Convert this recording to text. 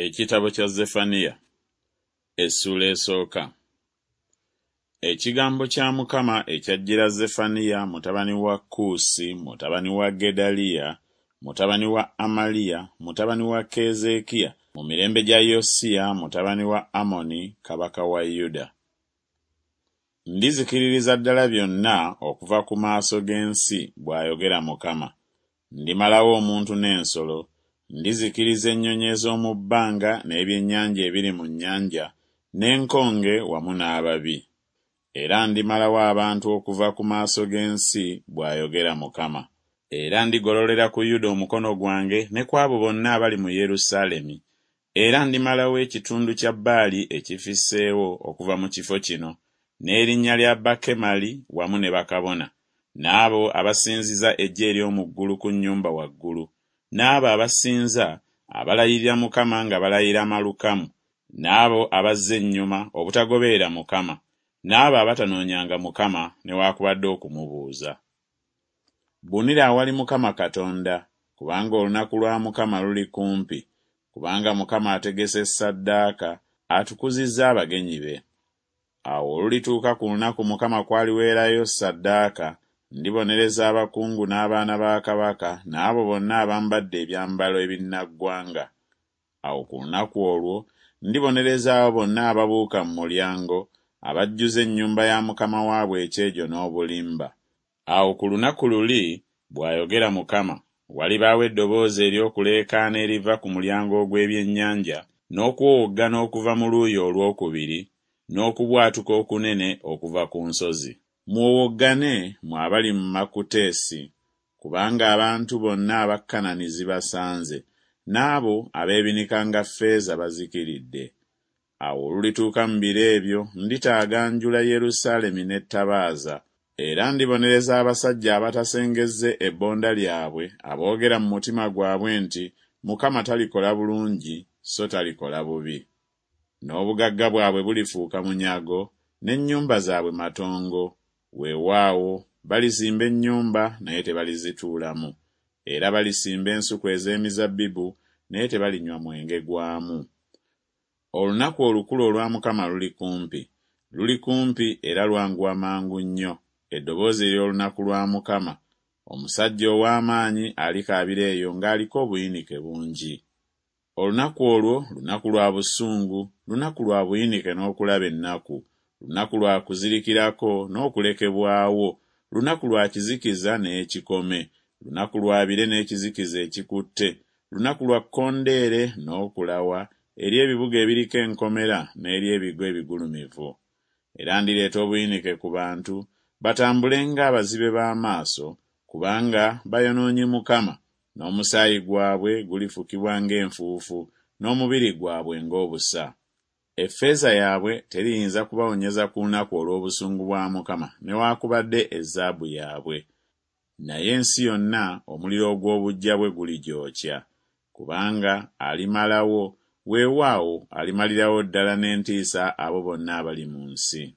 Ekitabo kya Zeffaniya essuula esooka. Ekigambo kya Mukama ekyajjira Zeffaniya mutabani wa Kuusi mutabani wa Gedaliya mutabani wa Amaliya mutabani wa Keezeekiya mu mirembe gya Yosiya mutabani wa Amoni kabaka wa Yuda. Ndizikiririza ddala byonna okuva ku maaso g'ensi, bw'ayogera Mukama. Ndimalawo omuntu n'ensolo, ndizikiriza ennyonyi ez'omu bbanga n'ebyennyanja ebiri mu nnyanja, n'enkonge wamu n'ababi. Era ndimalawo abantu okuva ku maaso g'ensi, bw'ayogera Mukama. Era ndigololera ku Yuda omukono gwange ne ku abo bonna abali mu Yerusaalemi, era ndimalawo ekitundu kya Baali ekifisseewo okuva mu kifo kino, n'erinnya lya Bakemali wamu ne bakabona, n'abo abasinziza eggye ery'omu ggulu ku nnyumba waggulu, n'abo abasinza, abalayirira Mukama nga balayira Malukamu, n'abo abazza ennyuma obutagoberera Mukama, n'abo abatanoonyanga Mukama newakubadde okumubuuza. Bunira awali Mukama Katonda, kubanga olunaku lwa Mukama luli kumpi, kubanga Mukama ategese ssaddaaka, atukuzizza abagenyi be. Awo olulituuka ku lunaku Mukama kw'aliweerayo ssaddaaka, ndibonereza abakungu n'abaana ba kabaka n'abo bonna abambadde ebyambalo ebinnaggwanga. Awo ku lunaku olwo ndibonereza abo bonna ababuuka mu mulyango, abajjuza ennyumba ya mukama waabwe ekyejo n'obulimba. Awo ku lunaku luli, bw'ayogera Mukama, walibaawo eddoboozi ery'okuleekaana eriva ku mulyango ogw'ebyennyanja, n'okuwowoggana okuva mu luuyi olw'okubiri, n'okubwatuka okunene okuva ku nsozi. Muwowoggane, mmwe abali mu Makuteesi, kubanga abantu bonna aba Kanani zibasanze, n'abo abeebinikanga ffeeza bazikiridde. Awo olulituuka mu biro ebyo nditaaganjula Yerusaalemi n'ettabaaza, era ndibonereza abasajja abatasengezze ebbonda lyabwe aboogera mu mutima gwabwe nti Mukama talikola bulungi so talikola bubi. N'obugagga bwabwe bulifuuka munyago, n'ennyumba zaabwe matongo, weewaawo, balizimba ennyumba naye tebalizituulamu, era balisimba ensuku ez'emizabbibu naye tebalinywa mwenge gwamu. Olunaku olukulu olwa Mukama luli kumpi, luli kumpi era lwanguwa mangu nnyo, eddoboozi ery'olunaku lwa Mukama. Omusajja ow'amaanyi alikaabira eyo ng'aliko obuyinike bungi. Olunaku olwo lunaku lwa busungu, lunaku lwa buyinike n'okulaba ennaku, lunaku lwa kuzirikirako n'okulekebwawo, lunaku lwa kizikiza n'ekikome, lunaku lwa bire n'ekizikiza ekikutte, lunaku lwa kkondeere n'okulawa eri ebibuga ebiriko enkomera n'eri ebigo ebigulumivu. Era ndireeta obuyinike ku bantu, batambule ng'abazibe b'amaaso, kubanga bayonoonye Mukama, n'omusaayi gwabwe gulifukibwa ng'enfuufu, n'omubiri gwabwe ng'obusa. Effeeza yaabwe teriyinza kubawonyeza ku lunaku olw'obusungu bwa Mukama, newakubadde ezaabu yaabwe. Naye ensi yonna omuliro ogw'obuggya bwe guligyokya, kubanga alimalawo, weewaawo, alimalirawo ddala n'entiisa abo bonna abali mu nsi.